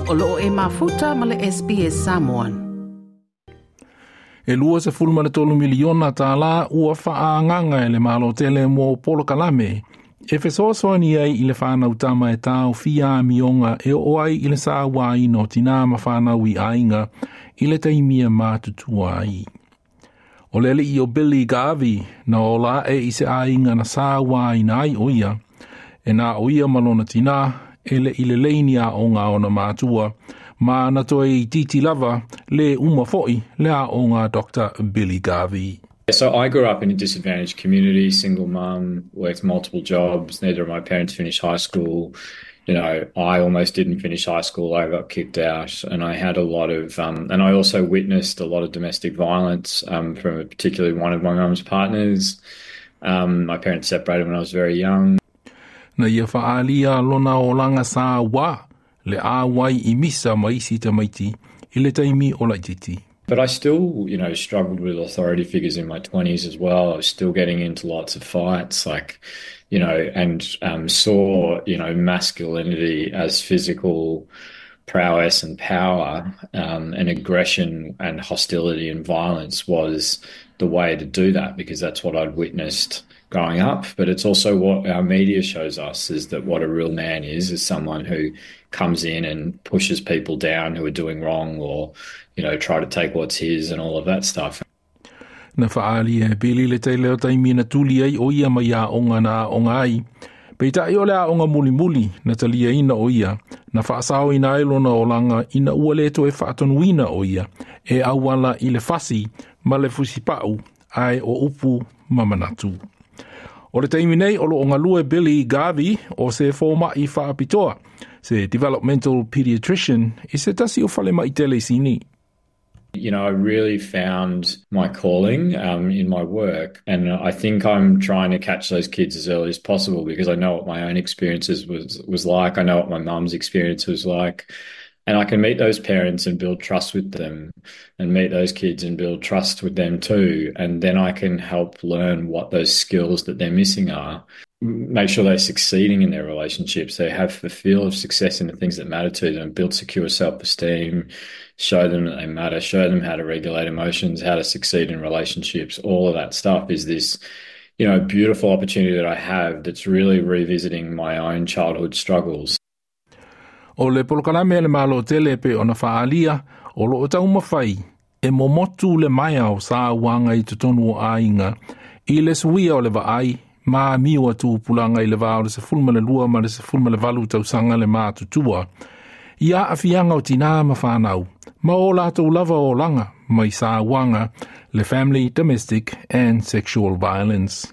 O loo e mafuta ma le SBS Samoan. E 23 miliona tālā ua faaagaga e le Malo tele mo polokalame e fesoasoani ai i le whānau tama e taofia amioga e oo ai i le sauaina o tinā ma fanau i aiga i le taimi e matutua ai. O le alii o Billy Garvey na ola e i se aiga na sauaina ai o ia, e na o ia ma lona tinā e le i le leini aoga ona mātua, ma na toe itiiti lava le uma foi le aoga Dr. Billy Garvey. So I grew up in a disadvantaged community, single mum, worked multiple jobs. Neither of my parents finished high school. I almost didn't finish high school. I got kicked out, and I had a lot of, and I also witnessed a lot of domestic violence from particularly one of my mum's partners. My parents separated when I was very young. Na ia faalia lona olaga sauā le auai i misa ma isi tamaiti i le taimi o laititi. But I still struggled with authority figures in my 20s as well. I was still getting into lots of fights, like, and saw masculinity as physical prowess and power, and aggression and hostility and violence was the way to do that because that's what I'd witnessed growing up. But it's also what our media shows us, is that what a real man is someone who comes in and pushes people down who are doing wrong or try to take what's his and all of that stuff. Na faalia e Billy le tele o taimi na tuli ai o ia mai aoga na aoga ai. Peitai o le aoga mulimuli na taliaina o ia, na faasaoina ai lona olaga ina ua le toe faatonuina o ia, e auala i le fasi ma le fusipau ae o upu ma manatu. O le taimi nei o loo galue Billy Garvey o se fomai faapitoa, se developmental pediatrician i se tasi o falemai tele i Sini. I really found my calling in my work, and I think I'm trying to catch those kids as early as possible because I know what my own experiences was like. I know what my mum's experience was like, and I can meet those parents and build trust with them, and meet those kids and build trust with them too, and then I can help learn what those skills that they're missing are. Make sure they're succeeding in their relationships, they have the feel of success in the things that matter to them, build secure self-esteem, show them that they matter, show them how to regulate emotions, how to succeed in relationships. All of that stuff is this beautiful opportunity that I have that's really revisiting my own childhood struggles. O le polokalame le Malo tele pei ona faalia o loo taumafai e momotu le maea o sauaga i totonu o aiga i le suia o le vaai ma amio a tupulaga i le va o le 12 ma le 18 tausaga le matutua. I aafiaga o tinā ma fanau, ma o latou lava olaga mai sauaga le Family, Domestic and Sexual Violence.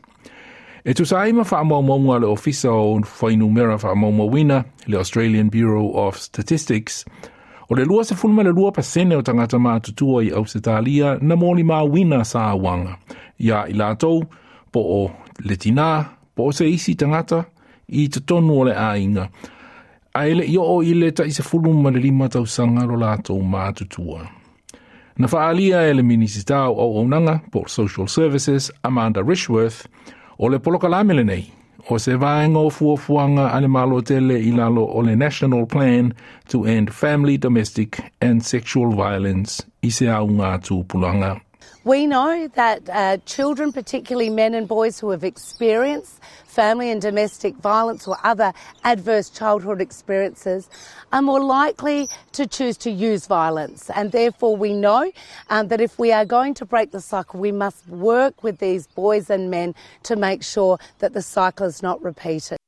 E tusa ai ma faamaumauga a le Ofisa o Fuainumera Faamaumauina, le Australian Bureau of Statistics, o le 22% o tagata matutua i Ausetalia na molimauina sauaga. Ia i latou, po o le tinā, po o se isi tagata i totonu o le aiga. Ae le i oo i le tai 15 tausaga lo latou matutua. Na faalia e le Minisita o Auaunaga po Social Services Amanda Rishworth, o le polokalame lenei, o se vaega o fuafuaga a le Malo tele i lalo o le National Plan to End Family, Domestic and Sexual Violence i se auga tupulaga. We know that children, particularly men and boys who have experienced family and domestic violence or other adverse childhood experiences, are more likely to choose to use violence. And therefore, we know that if we are going to break the cycle, we must work with these boys and men to make sure that the cycle is not repeated.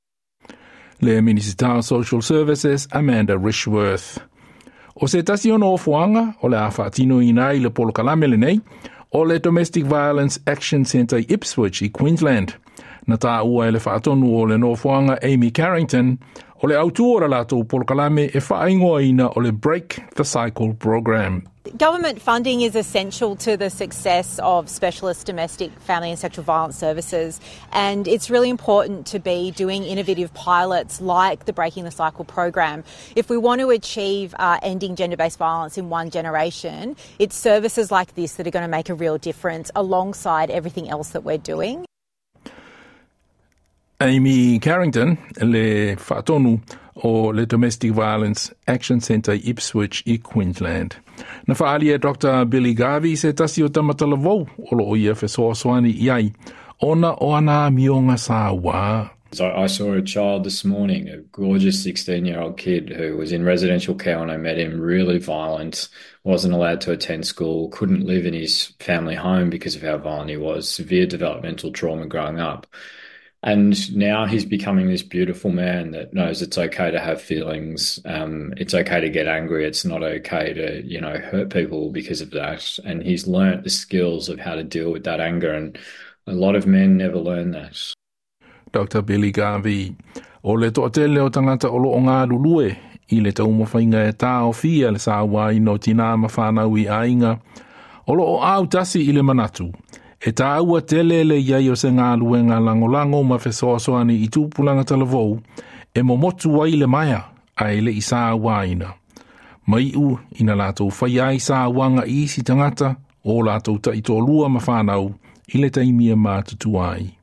Le Minisita Social Services Amanda Rishworth. O se tasi o nofoaga o le a faatinoina ai le polokalame lenei, o le Domestic Violence Action Centre i Ipswich i Queensland. Na taua e le faatonu o le nofoaga Amy Carrington, o le autū o le latou polokalame e faaigoaina o le Break the Cycle Program. Government funding is essential to the success of specialist domestic, family and sexual violence services, and it's really important to be doing innovative pilots like the Breaking the Cycle program. If we want to achieve ending gender-based violence in one generation, it's services like this that are going to make a real difference alongside everything else that we're doing. Amy Carrington, le faatonu o le Domestic Violence Action Centre i Ipswich i Queensland. Na faaalia e Dr Billy Garvey se tasi o tamatalavou o loo ia fesoasoani i ai, ona o ana amioga sauā. So I saw a child this morning, a gorgeous 16-year-old kid who was in residential care when I met him, really violent, wasn't allowed to attend school, couldn't live in his family home because of how violent he was, severe developmental trauma growing up. And now he's becoming this beautiful man that knows it's okay to have feelings. It's okay to get angry. It's not okay to, you know, hurt people because of that. And he's learnt the skills of how to deal with that anger. And a lot of men never learn that. Dr. Billy Garvey, o le toatele o tagata o loo galulue i le taumafaiga e taofia le sauaina o tinā ma fanau i aiga, o loo autasi i le manatu, e taua tele le i ai o se galuega lagolago ma fesoasoani i tupulaga talavou e momotu ai le maea ae le'i sauaina. Ma iu ina latou faia ai sauaga i isi tagata o latou taitoalua ma fanau i le taimi e matutua ai.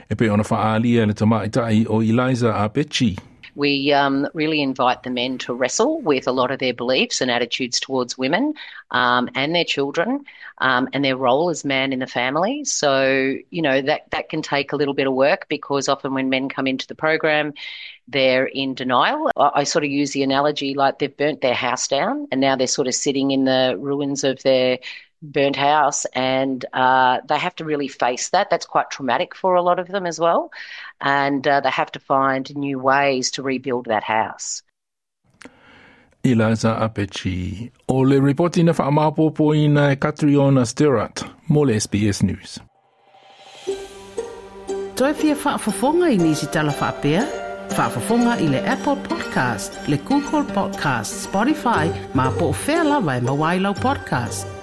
E pei ona faaalia e le tamaitai o Eliza Apechi. We really invite the men to wrestle with a lot of their beliefs and attitudes towards women and their children and their role as man in the family. So, you know, that can take a little bit of work because often when men come into the program, they're in denial. I sort of use the analogy like they've burnt their house down and now they're sort of sitting in the ruins of their burnt house and they have to really face that. That's quite traumatic for a lot of them as well. And they have to find new ways to rebuild that house. Eliza Apechi. O le ripoti na faamaopoopoina e Catriona Stirrat mo le SBS News. Toe fia faafofoga i nisi tala faapea? Faafofoga i le Apple Podcast, le Google Podcast, Spotify, ma po o fea lava e maua ai lau podcast.